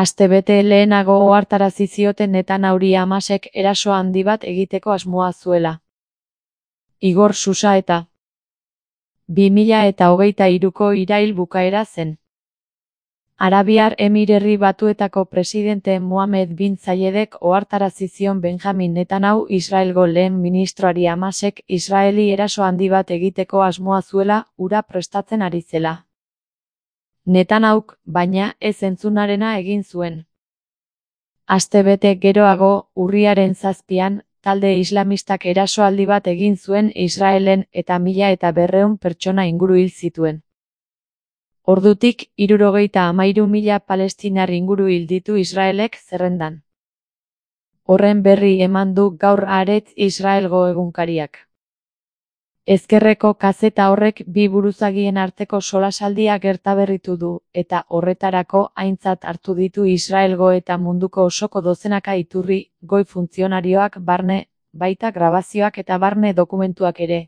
Astebete lehenago ohartarazi zioten Netanyahu Hamasek eraso handi bat egiteko asmoa zuela. Igor Susa eta 2023ko irail bukaera zen. Arabiar Emirerri Batuetako presidente Mohammed bin Zayedek ohartarazi zion Benjamin Netanyahu Israelgo lehen ministroari Hamasek Israeli eraso handi bat egiteko asmoa zuela, hura prestatzen ari zela. Netanyahuk, baina, ez entzunarena egin zuen. Astebete geroago, urriaren 7an, talde islamistak erasoaldi bat egin zuen Israelen eta 1200 pertsona inguru hil zituen. Ordutik, 73.000 palestinar inguru hil ditu Israelek zerrendan. Horren berri eman du gaur Haaretz Israelgo egunkariak. Ezkerreko kazeta horrek bi buruzagien arteko solasaldia gertaberritu du, eta horretarako aintzat hartu ditu Israelgo eta munduko osoko dozenaka iturri, goi funtzionarioak barne, baita grabazioak eta barne dokumentuak ere.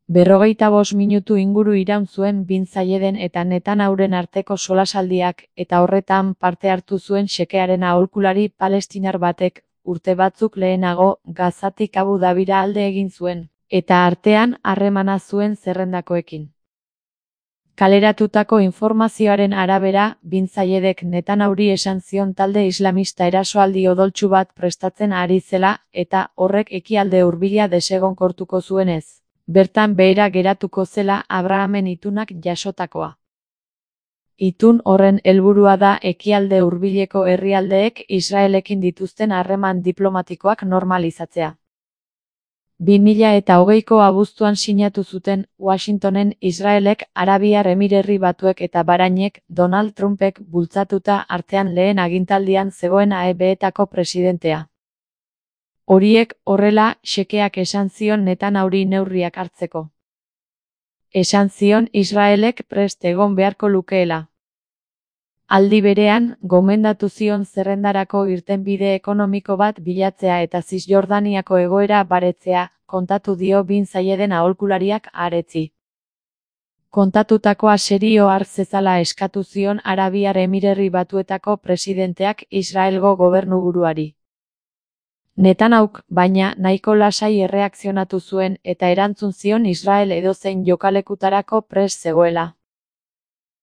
45 minutu inguru iraun zuen bin Zayeden eta Netanyahuren arteko solasaldiak, eta horretan parte hartu zuen xekearen aholkulari palestinar batek, urte batzuk lehenago, Gazatik Abu Dabira alde egin zuen, eta artean harremana zuen zerrendakoekin. Kaleratutako informazioaren arabera, bin Zayedek Netanyahuri esan zion talde islamista erasoaldi odoltsu bat prestatzen ari zela, eta horrek ekialde hurbila desegonkortuko zuenez. Bertan behera geratuko zela Abrahamen itunak jasotakoa. Itun horren helburua da ekialde hurbileko herrialdeek Israelekin dituzten harreman diplomatikoak normalizatzea. 2020ko abuztuan sinatu zuten Washingtonen Israelek, Arabiar Emirerri Batuek eta Bahrainek, Donald Trumpek bultzatuta artean lehen agintaldian zegoen AEBetako presidentea. Horiek horrela, xekeak esan zion Netanyahuri neurriak hartzeko. Esan zion Israelek prest egon beharko lukeela. Aldi berean, gomendatu zion zerrendarako irtenbide ekonomiko bat bilatzea eta Zisjordaniako egoera baretzea, kontatu dio bin Zayeden aholkulariak Haaretzi. Kontatutakoa serio har zezala eskatu zion Arabiar Emirerri Batuetako presidenteak Israelgo gobernuburuari. Netanyahuk, baina, nahiko lasai erreakzionatu zuen eta erantzun zion Israel edozein jokalekutarako prest zegoela.